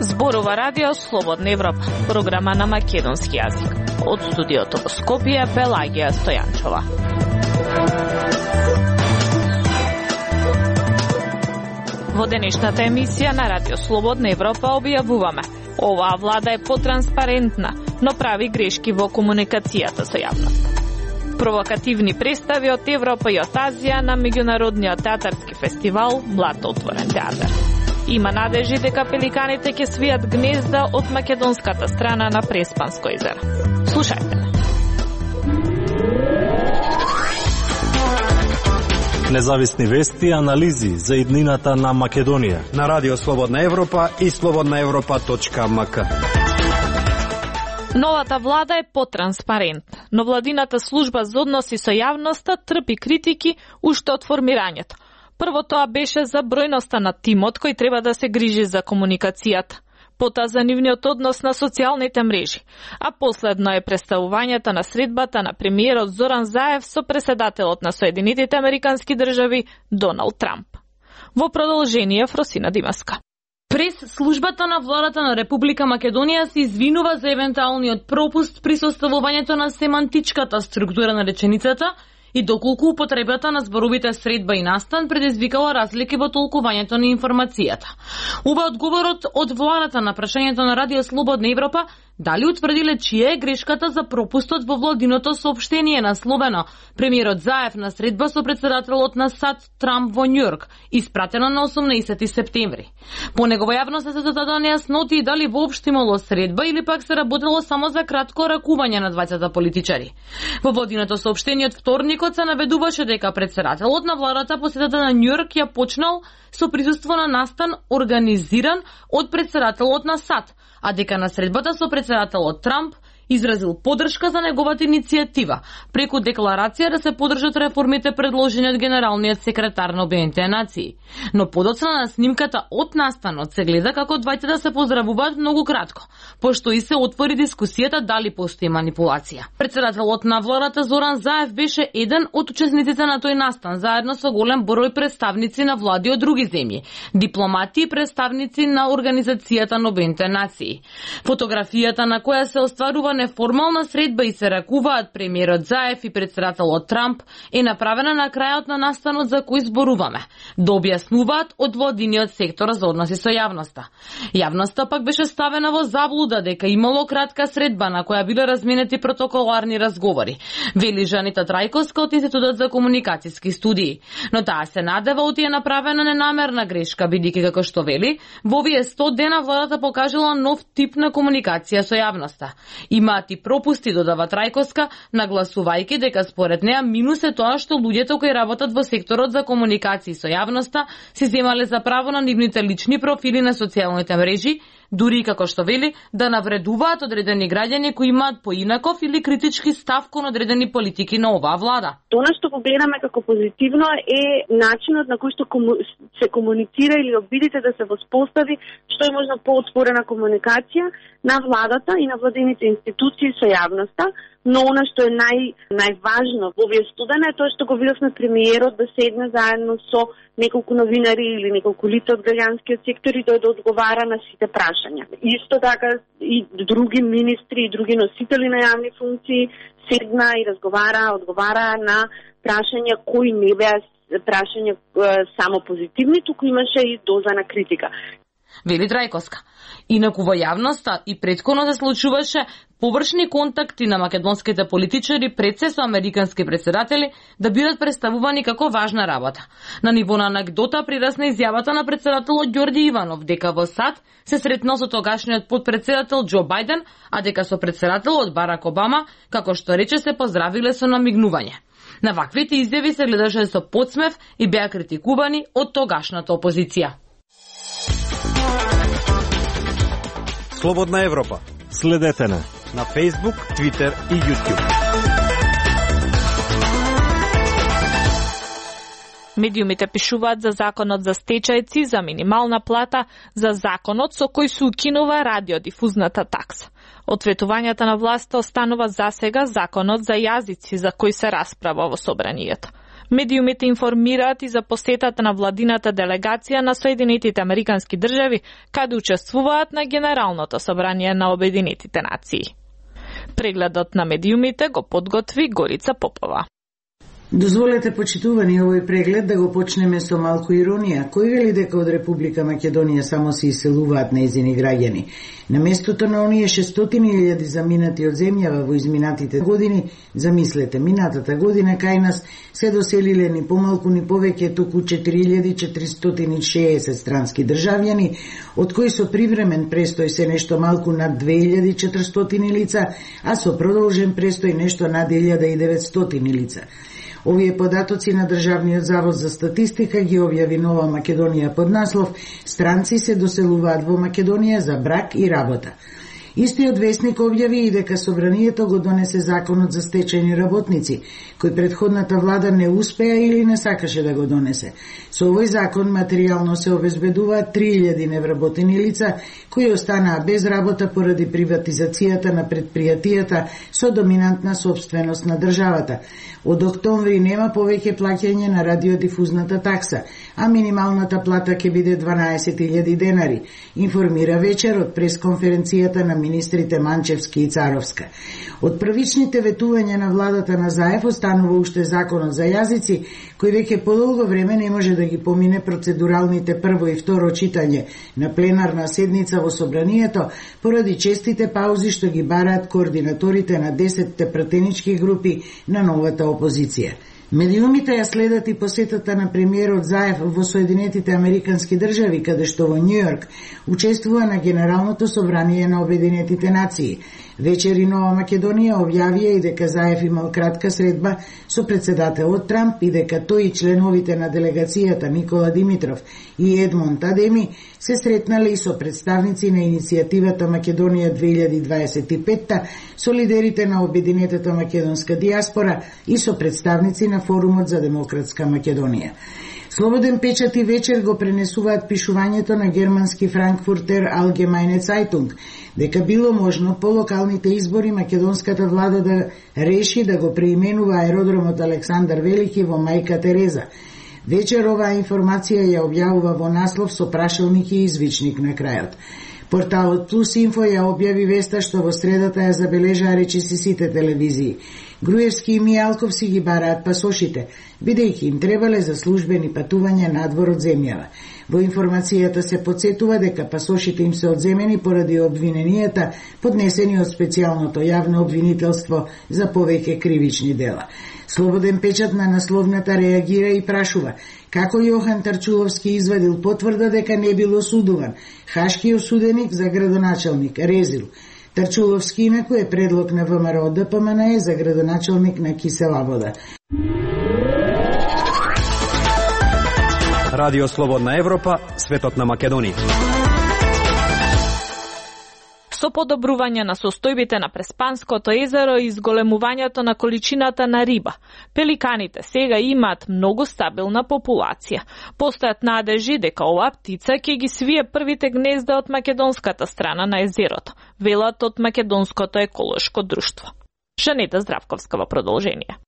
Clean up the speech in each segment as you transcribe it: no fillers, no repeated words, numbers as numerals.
Зборува Радио Слободна Европа, програма на македонски јазик. Од студиото во Скопје, Пелагија Стојанчова. Во денешната емисија на Радио Слободна Европа објавуваме: оваа влада е потранспарентна, но прави грешки во комуникацијата со јавност. Провокативни представи од Европа и од Азија на меѓународниот театарски фестивал Блато отворен театар. Има надежи дека пеликаните ќе свијат гнезда од македонската страна на Преспанско езеро. Слушајте ме. Независни вести и анализи за иднината на Македонија на Радио Слободна Европа и slobodnaevropa.mk. Новата влада е потранспарентна, но владината служба за односи со јавноста трпи критики уште од формирањето. Прво тоа беше за бројноста на тимот кој треба да се грижи за комуникацијата, потоа за нивниот однос на социјалните мрежи, а последно е представувањето на средбата на премиерот Зоран Заев со преседателот на Соединетите Американски држави Доналд Трамп. Во продолжение Фросина Димаска. Прес службата на владата на Република Македонија се извинува за евентуалниот пропуст при составувањето на семантичката структура на реченицата и доколку употребата на зборовите средба и настан предизвикала разлики во толкувањето на информацијата. Ова одговорот од владата на прашањето на Радио Слободна Европа дали утврдиле чија е грешката за пропустот во владиното соопштение насловено премиерот Заев на средба со председателот на САД Трамп во Њујорк, испратено на 18 септември. По негова јавност се зададоа нејасноти дали воопшто имало средба или пак се работело само за кратко ракување на двајцата политичари. Во владиното соопштение од вторникот се наведуваше дека председателот на владата посетата на Њујорк ја почнал со присуство на настан организиран од председателот на САД, а дека на средбата со председателот Трамп изразил поддршка за неговата иницијатива, преку декларација да се поддржат реформите предложени од генералниот секретар на Обединетите нации. Но подоцна на снимката од настанот се гледа како двајцата се поздравуваат многу кратко, пошто и се отвори дискусијата дали постои манипулација. Председателот на владата Зоран Заев беше еден од учесниците на тој настан, заедно со голем број представници на влади од други земји, дипломати и представници на Организацијата на Обединетите нации. Фотографијата на која се остварува неформална средба и се ракуваат премиерот Заев и председателот Трамп е направена на крајот на настанот за кој зборуваме, да објаснуваат од владиниот сектор за односи со јавноста. Јавноста пак беше ставена во заблуда дека имало кратка средба на која биле разменети протоколарни разговори, вели Жанита Трајковска од Институтот за комуникацијски студии. Но таа се надева оти е направена ненамерна грешка, бидејќи како што вели, во овие 100 дена владата покажала нов тип на комуникација со јавноста. Имаат и пропусти, додава Трајковска, нагласувајќи дека според неа минус е тоа што луѓето кои работат во секторот за комуникации со јавноста си земале за право на нивните лични профили на социјалните мрежи, дури како што вели да навредуваат одредени граѓани кои имаат поинаков или критички став кон одредени политики на оваа влада. Тоа што го гледаме како позитивно е начинот на кој што се комуницира или обидите да се воспостави што е можно поотворена комуникација на владата и на владините институции со јавноста, но она што е најважно во овие студена е тоа што го видовме премиерот да седне заедно со неколку новинари или неколку лица од граѓанскиот сектор и да одговара на сите прашања. Исто така и други министри и други носители на јавни функции седна и одговара на прашања кои не беа прашања само позитивни, туку имаше и доза на критика. Вели Трајковска. Инаку во јавноста и претходно се случуваше површни контакти на македонските политичари пред се со американски председатели да бидат представувани како важна работа. На ниво на анекдота прирасна изјавата на председателот Ѓорѓи Иванов дека во САД се сретнал со тогашниот подпредседател Џо Бајден, а дека со председателот Барак Обама, како што рече, се поздравиле со намигнување. На ваквите изјави се гледаше со подсмев и беа критикувани од тогашната опозиција. Слободна Европа. Следете на Facebook, Twitter и YouTube. Медиумите пишуваат за законот за стечајци, за минимална плата, за законот со кој се укинува радиодифузната такса. Од ветувањата на власта останува засега законот за јазици за кој се расправа во собранието. Медиумите информираат и за посетата на владината делегација на Соединетите Американски држави, каде учествуваат на Генералното собрание на Обединетите нации. Прегледот на медиумите го подготви Горица Попова. Дозволете, почитувани, овој преглед да го почнеме со малку иронија. Кој вели дека од Република Македонија само се иселуваат нејзини граѓани? На местото на оние 600.000 заминати од земјава во изминатите години, замислете, минатата година кај нас се доселиле ни помалку ни повеќе току 4.460 странски државјани, од кои со привремен престој се нешто малку над 2.400 лица, а со продолжен престој нешто над 1.900 лица. Овие податоци на Државниот завод за статистика ги објави Нова Македонија под наслов «Странци се доселуваат во Македонија за брак и работа». Истиот весник објави и дека собранието го донесе законот за стечајни работници, кој претходната влада не успеа или не сакаше да го донесе. Со овој закон материјално се обезбедуваат 3000 невработени лица кои останаа без работа поради приватизацијата на предпријатијата со доминантна собственост на државата. Од октомври нема повеќе плаќање на радиодифузната такса, а минималната плата ќе биде 12.000 денари, информира вечер од пресконференцијата на министрите Манчевски и Царовска. Од првичните ветувања на владата на Заев останува уште законот за јазици, кој веќе подолго време не може да ги помине процедуралните прво и второ читање на пленарна седница во собранието, поради честите паузи што ги бараат координаторите на 10 пратенички групи на новата опозиција. Медиумите ја следат и посетата на премиерот Заев во Соединетите Американски држави, каде што во Њујорк учествува на Генералното собрание на Обединетите нации. Вечер и Нова Македонија објавија и дека Заев имал кратка средба со председателот Трамп и дека тој и членовите на делегацијата Никола Димитров и Едмонд Адеми се сретнале и со представници на иницијативата Македонија 2025, со лидерите на Обединетата македонска диаспора и со представници на Форумот за демократска Македонија. Слободен печат и вечер го пренесуваат пишувањето на германски Frankfurter Allgemeine Zeitung, дека било можно по локалните избори македонската влада да реши да го преименува аеродромот Александар Велики во Мајка Тереза. Вечер оваа информација ја објавува во наслов со прашалник и извичник на крајот. Порталот Плюс Инфо ја објави веста што во средата ја забележаа речиси сите телевизии. Груевски и Мијалков си ги бараат пасошите, бидејќи им требале за службени патувања надвор од земјава. Во информацијата се потсетува дека пасошите им се одземени поради обвиненијата поднесени од специјалното јавно обвинителство за повеќе кривични дела. Слободен печат на насловната реагира и прашува како Јохан Тарчуловски извадил потврда дека не бил осудуван, хашки осуденик за градоначалник Резил. Тарчуловски инаку е предлог на ВМРО ДПМНЕ за градоначалник на Кисела Вода. Радио Слободна Европа, светот на Македонија. Со подобрување на состојбите на Преспанското езеро и изголемувањето на количината на риба, пеликаните сега имаат многу стабилна популација. Постојат надежи дека оваа птица ќе ги свие првите гнезда од македонската страна на езерото, велат од Македонското еколошко друштво. Жанета Здравковска во продолжение.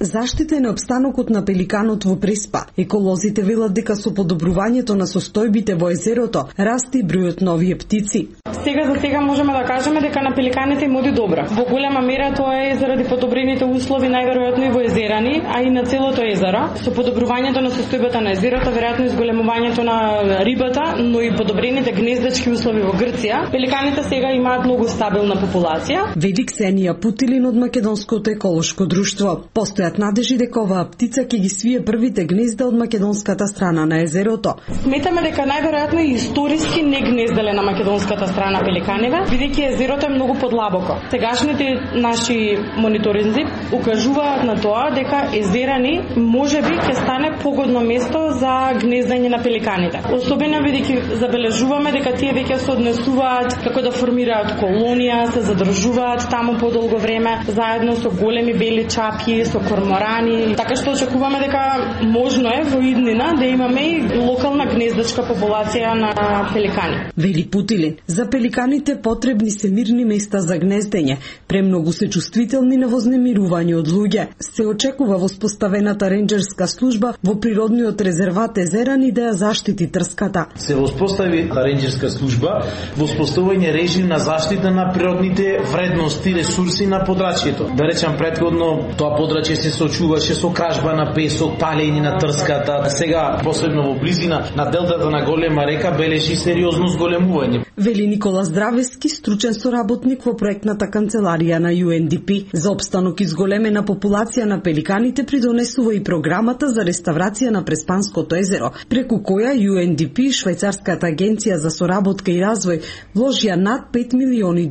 Заштитен е опстанокот на пеликанот во Преспа. Еколозите велат дека со подобрувањето на состојбите во езерото расте бројот на овие птици. Сега можеме да кажеме дека на пеликаните им оди добро. Во голема мера тоа е заради подобрените услови, најверојатно и во езерани, а и на целото езеро. Со подобрувањето на состојбата на езерото, веројатно изголемувањето на рибата, но и подобрените гнездачки услови во Грција, пеликаните сега имаат многу стабилна популација. Веди Ксенија Путилин од Македонското еколошко друштво. Постојат надежи дека оваа птица ќе ги свие првите гнезда од македонската страна на езерото. Сметаме дека најверојатно и историски не гнезделе на македонската страна пеликаниве, бидејќи езерото е многу подлабоко. Сегашните наши мониторинзи укажуваат на тоа дека езерани можеби ќе стане погодно место за гнездање на пеликаните. Особено бидејќи забележуваме дека тие веќе се однесуваат како да формираат колонија, се задржуваат таму подолго време, заедно со големи бели чапји, со корморани, така што очекуваме дека можно е во иднина да имаме и локална гнездачка популација на пеликани. Вели Путилин, за пеликаните потребни се мирни места за гнездење, премногу се чувствителни на вознемирување од луѓе. Се очекува воспоставената ренџерска служба во природниот резерват Езерани да ја заштити трската. Се воспостави ренџерска служба во воспоставување режим на заштита на природните вредности, ресурси на подрачјето. Да речам, предходно тоа подрачје се сочуваше со кражба на песок, палење на трската. Сега, посебно во близина на делтата на голема река, бележи сериозно зголемување. Вели Никола Здравески, стручен соработник во проектната канцеларија на UNDP. За опстанок и зголемена популација на пеликаните придонесува и програмата за реставрација на Преспанското езеро, преку која UNDP и Швајцарската агенција за соработка и развој вложија над $5 милиони.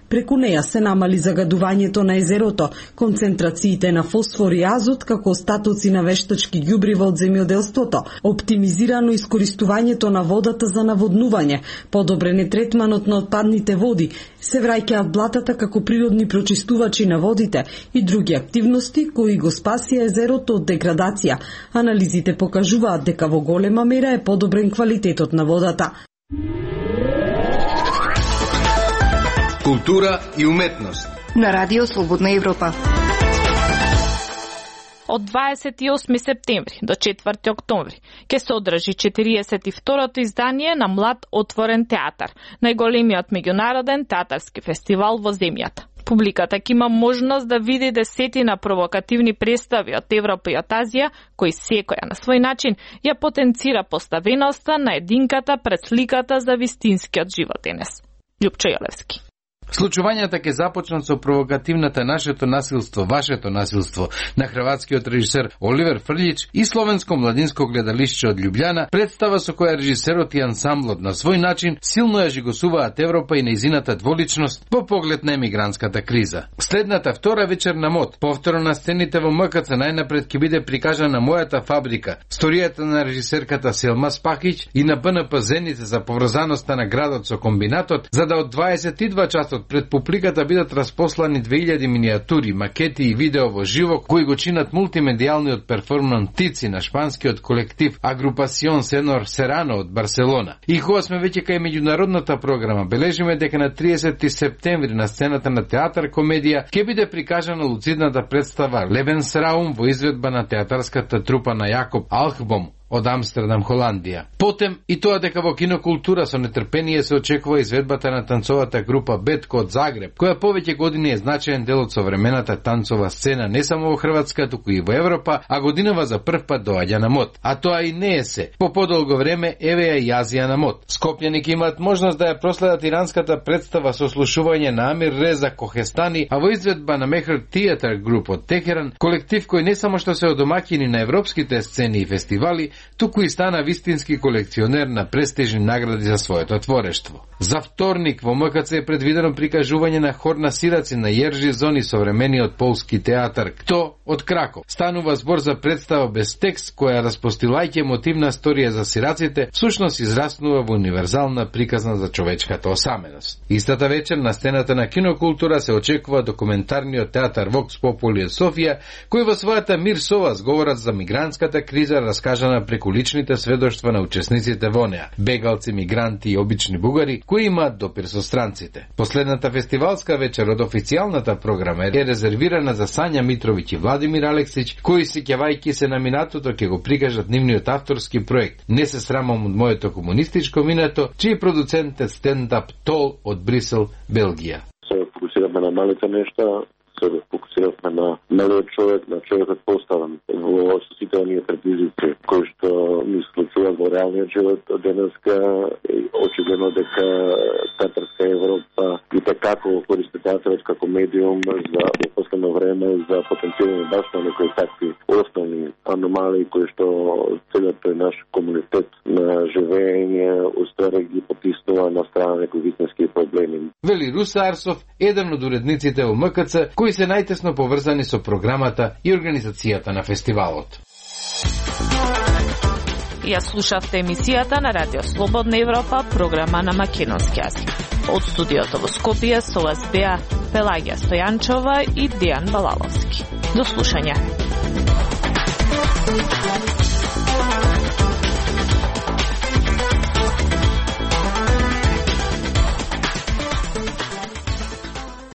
Преку неја се намали загадувањето на езерото, концентрациите на фосфор и азот како остатоци на вештачки ѓубрива од земјоделството, оптимизирано искористувањето на водата за наводнување, подобрен е третманот на отпадните води, се враќаат блатата како природни прочистувачи на водите и други активности кои го спасија езерото од деградација. Анализите покажуваат дека во голема мера е подобрен квалитетот на водата. Култура и уметност на Радио Слободна Европа. Од 28 септември до 4 октомври ќе се одржи 42-то издание на Млад отворен театар, најголемиот меѓународен театарски фестивал во земјата. Публиката ќе има можност да види десетина провокативни представи од Европа и од Азија, кои секоја на свој начин ја потенцира поставеноста на единката пред сликата за вистинскиот животенес. Љупчо Јолевски. Случувањата ќе започнат со провокативната Нашето насилство, вашето насилство на хрватскиот режисер Оливер Фрлиќ и словенско младинско гледалиште од Љубљана, представа со која режисерот и ансамблот на свој начин силно ја жигосуваат Европа и нејзината дволичност по поглед на емигрантската криза. Следната втора вечер на МОД, повторно на сцените во МКЦ, најнапред ќе биде прикажана Мојата фабрика, сторијата на режисерката Селма Спахиќ и на БНП Зеница за поврзаноста на градот со комбинатот, за да од 22 часот пред публиката бидат распослани 2000 миниатури, макети и видео во живо кои го чинат мултимедијалниот перформанс Тици на шпанскиот колектив Агрупасион Сенор Серано од Барселона. И кога сме веќе кај меѓународната програма, бележиме дека на 30 септември на сцената на Театар Комедија ќе биде прикажана луцидната представа Лебенсраум во изведба на театарската трупа на Јакоб Алхбом од Амстердам, Холандија. Потем и тоа дека во кинокултура со нетрпение се очекува изведбата на танцовата група Бетко од Загреб, која повеќе години е значаен дел од современата танцова сцена не само во Хрватска, туку и во Европа, а годинава за прв пат доаѓа на МОД. А тоа и не е се. По подолго време еве ја и Азија на МОД. Скопјани ќе имаат можност да ја проследат иранската представа со слушување на Амир Реза Кохестани, а во изведба на Мехр Театар Груп од Техеран, колектив кој не само што се одомаќини на европските сцени и фестивали, туку и стана вистински колекционер на престижни награди за своето творештво. За вторник во МКЦ е предвидено прикажување на хор на сираци на Јержи Зони, современиот полски театар Кто од Краков. Станува збор за представа без текст, која распостилајќи емотивна сторија за сираците, всушност израснува во универзална приказна за човечката осаменост. Истата вечер на сцената на кинокултура се очекува документарниот театар Vox Populi Софија, кој во својата Мир Сова зговорат за мигрантската криза раскажана преку личните сведоштва на учесниците во неа, бегалци, мигранти и обични бугари, кои имаат допир со странците. Последната фестивалска вечер од официјалната програма е резервирана за Сања Митровиќ и Владимир Алексиќ, кои сеќавајќи се на минатото ќе го прикажат нивниот авторски проект Не се срамам од моето комунистичко минато, чиј продуцент е стендап Тол од Брисел, Белгија. Се фокусираме на малите нешта, се фокусираме на малиот човек, на човекот поставен во сите оние предизвици кои што ни случуваат во реалниот живот денеска. Очигледно дека театарска Европа и така користи театарот како медиум за во последно време за потенцирање баш на некои такви основни аномалии кои што целиот тој наш комунитет на живење успеа ги потиснува на страна некои вистински проблеми. Вели Руса Арсов, еден од уредниците во МКЦ, кои се најтесно поврзани со програмата и организацијата на фестивалот. Ја слушавте емисијата на Радио Слободна Европа, програма на македонски јазик. Од студиото во Скопје со вас беа Пелагија Стојанчова и Дејан Балаловски. До слушање.